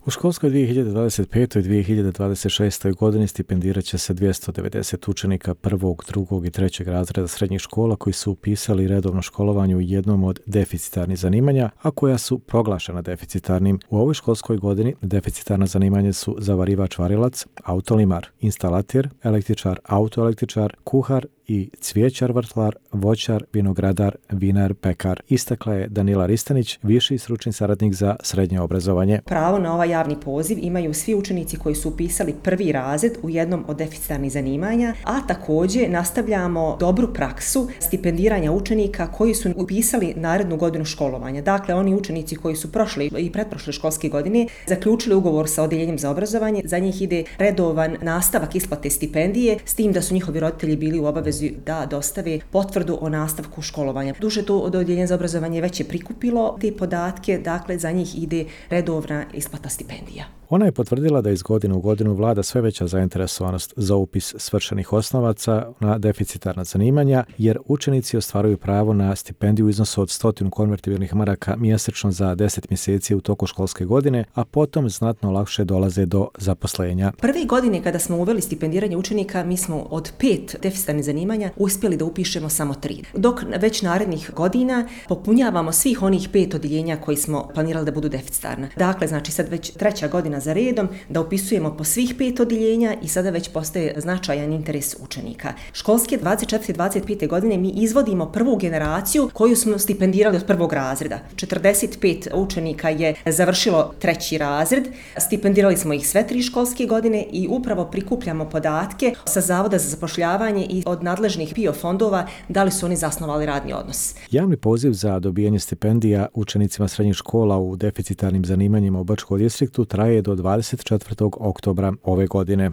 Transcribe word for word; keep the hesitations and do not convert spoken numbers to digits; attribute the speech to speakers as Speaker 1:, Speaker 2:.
Speaker 1: U školskoj dvije hiljade dvadeset pete. i dvije hiljade dvadeset šeste. godini stipendirat će se dvjesto devedeset učenika prvog, drugog i trećeg razreda srednjih škola koji su upisali redovno školovanje u jednom od deficitarnih zanimanja, a koja su proglašena deficitarnim. U ovoj školskoj godini deficitarna zanimanja su zavarivač varilac, autolimar, instalater, električar, autoelektričar, kuhar i cvijećar vrtlar, voćar, vinogradar, vinar, pekar. Istakla je Danila Ristanić, viši stručni saradnik za srednje obrazovanje.
Speaker 2: Pravo na ovaj javni poziv imaju svi učenici koji su upisali prvi razred u jednom od deficitarnih zanimanja, a također nastavljamo dobru praksu stipendiranja učenika koji su upisali narednu godinu školovanja. Dakle, oni učenici koji su prošle i pretprošle školske godine zaključili ugovor sa odjeljenjem za obrazovanje, za njih ide redovan nastavak isplate stipendije, s tim da su njihovi roditelji bili u obavezi da dostave potvrdu o nastavku školovanja. Duže to od odjeljenja za obrazovanje već je prikupilo te podatke, dakle za njih ide redovna isplata stipendija.
Speaker 1: Ona je potvrdila da iz godine u godinu vlada sve veća zainteresovanost za upis svršenih osnovaca na deficitarna zanimanja, jer učenici ostvaruju pravo na stipendiju u iznosu od stotinu konvertibilnih maraka mjesečno za deset mjeseci u toku školske godine, a potom znatno lakše dolaze do zaposlenja.
Speaker 2: Prve godine kada smo uveli stipendiranje učenika, mi smo od pet deficitarnih zanimanja uspjeli da upišemo samo tri. Dok već narednih godina popunjavamo svih onih pet odjeljenja koji smo planirali da budu deficitarna. Dakle, znači sad već treća godina za redom da upisujemo po svih pet odjeljenja i sada već postaje značajan interes učenika. Školske dvadeset četvrte. dvadeset pete. godine mi izvodimo prvu generaciju koju smo stipendirali od prvog razreda. četrdeset pet učenika je završilo treći razred, stipendirali smo ih sve tri školske godine i upravo prikupljamo podatke sa Zavoda za zapošljavanje i od nadležnih P I O fondova da li su oni zasnovali radni odnos.
Speaker 1: Javni poziv za dobijanje stipendija učenicima srednjih škola u deficitarnim zanimanjima u Bačkom distriktu traje do dvadeset četvrtog oktobra ove godine.